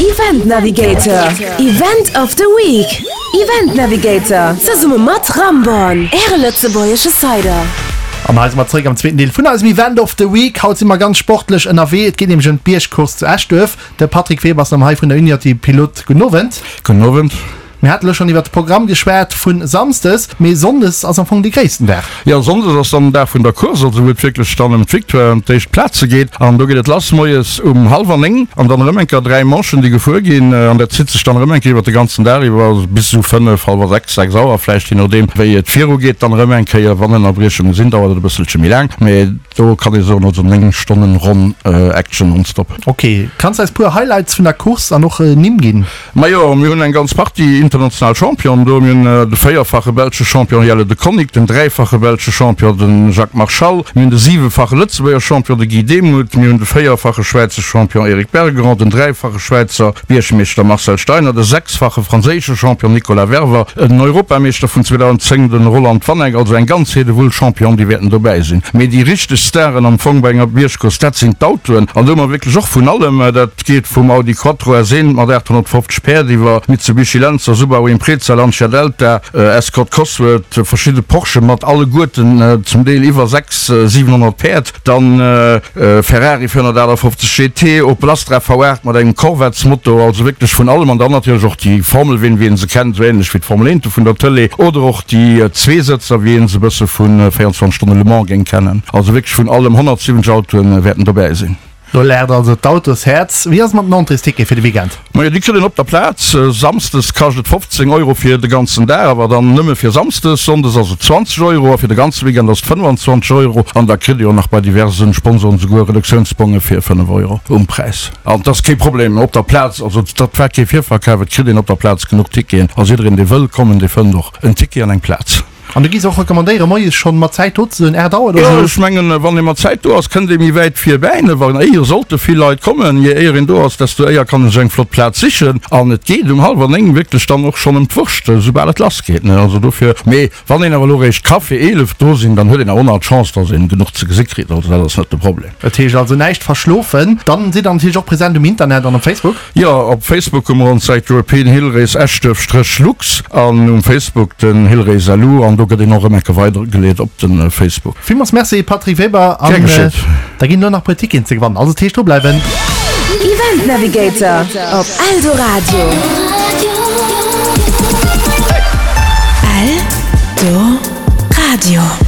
Event Navigator, Event of the Week. Event Navigator, zesumme mat Ramborn, Äre lëtzebuergesche Cider. An hei si mer zeréck am zweeten Deel vun eisem Event of the Week. Haut si mer ganz sportlech ënnerwee. Et geet nämlech ëm d'Biergcourse zu Eschduerf. De Patrick Weber ass erëm hei vun der Uniati Pilot. Gudden Owend. Gudden Owend. Mir hate lo schonn iwwert de Programm geschwat vu Samsdes, mee Sonndes ass am Fong dee gréissten Dag. Jo, Sonndes ass dann den Dag vun der Course, also wou et wierklech dann ëm d'Victoire, ëm d'éischt Plaze geet. An do geet et lass moies um hallwer 9 an dann erëm eng Kéier 3 Manchen, déi gefuer ginn. An dat zitt sech dann erëm eng Kéier iwwert de ganzen Dag iwwer, also bis esou 5, hallwer 6, 6 Auer vläicht, je nodeem wéi et virugeet. Dann erëm eng Kéier, wann Ënnerbriechunge sinn, dauert et e bësselche méi laang, mee do kann ee soen, also 9 Stonnen ronn Action nonstop. Ok, kanns de eis puer Highlights vun der Course an och Nimm ginn? Majo, mir hunn eng ganz Partie international Championen do. Mir hunn de véierfache belsche Champion Jelle De Coninck, den dräifache belsche Champion de Jacques Marchal, mir hunn de siwefache Lëtzebuerger Champion de Guy Demuth, mir hunn de véierfache Schwäizer Champion Eric Bergeron, den dräifache Schwäizer Biergmeeschter Marcel Steiner, de sechsfache franséische Champion Nicolas Werver, den Europameeschter vun 2010 de Roland Vanek. Also eng ganz Heedewull Championen, déi wäerten dobäi sinn. Mee déi richteg Staren am Fong bei enger Biergcourse, dat sinn d'Autoen. An do hu mer wierklech och vun allem. Dat. Et geet vum Audi Quattro S1 mat 850 Päerd iwwer Mitsubishi Lancer, Subaru Impreza, Lancia Delta, Escort Cosworth, verschidde Porsche mat alleguerten zum Deel iwwer 6, 700 Päerd, dann Ferrari 458 GT, Opel Astra V8 mat engem Corvettesmotor, also wierklech vun allem. An dann natierlech och déi Formelween, wéi een se kennt, esou änlech wéi d'Formel 1 vun der Tëlee, oder och déi Zweesëtzer, wéi een se e bësse vu 24 Stonne Le Mans géing kennen. Also wierklech vun allem, 170 Autoe wäerten dobäi sinn. Do laacht also d'Autoshäerz. Wéi ass et mat den Entréestickete fir de Weekend? Majo, déi kritt een op der Plaz. Samsdes kascht et 15 Euro fir de ganzen Dag, awer dann nëmme fir Samsdes. Sonndes ass et 20 Euro a fir de ganze Weekend ass et 25 Euro. An da kritt ee jo nach bei diverse Sponsoren souguer Reduktiounsbonge fir 5 Euro um Präis. An et ass kee Problem op der Plaz, also dat war kee Virverkaf, et kritt een op der Plaz genuch Ticketen. Also jiddereen, dee wëll kommen, dee fënnt och en Ticket an eng Plaz. An du giss och recommandéieren moies schonn mat Zäit do ze sinn, 8 Auer oder Jo, sou? ech mengen, wann ee mat Zäit do ass, kënnt ee méi wäit virbäi. Ne, wann éier sollte vill Leit kommen, je éier een do ass, desto éier kann e sech eng flott Plaz sichen. An et geet um hallwer 9 wierklech dann och schonn ëm d'Wurscht, soubal et lass geet. Ne, also dofir. Mee wann een awer elo réischt ka fir 11 do sinn, dann huet een awer och nach d'Chance, dass een genuch ze gesi kritt. Also dat ass net de Problem. Dat heescht also näischt verschlofen. Dann sidd der natierlech och present um Internet an op Facebook. Jo, op Facebook hu mer ons Säit European Hill Race Eschduerf Stréch Lux an um Facebook den Hill Race LU an do gëtt een och erëm enke weidergeleet op de Facebook. Villmools Merci Patrick Weber an Gär geschéet. da ginn elo nach puer Ticketen ze gewannen, also dat heescht drubleiwen. Event Navigator op Eldoradio. Eldoradio.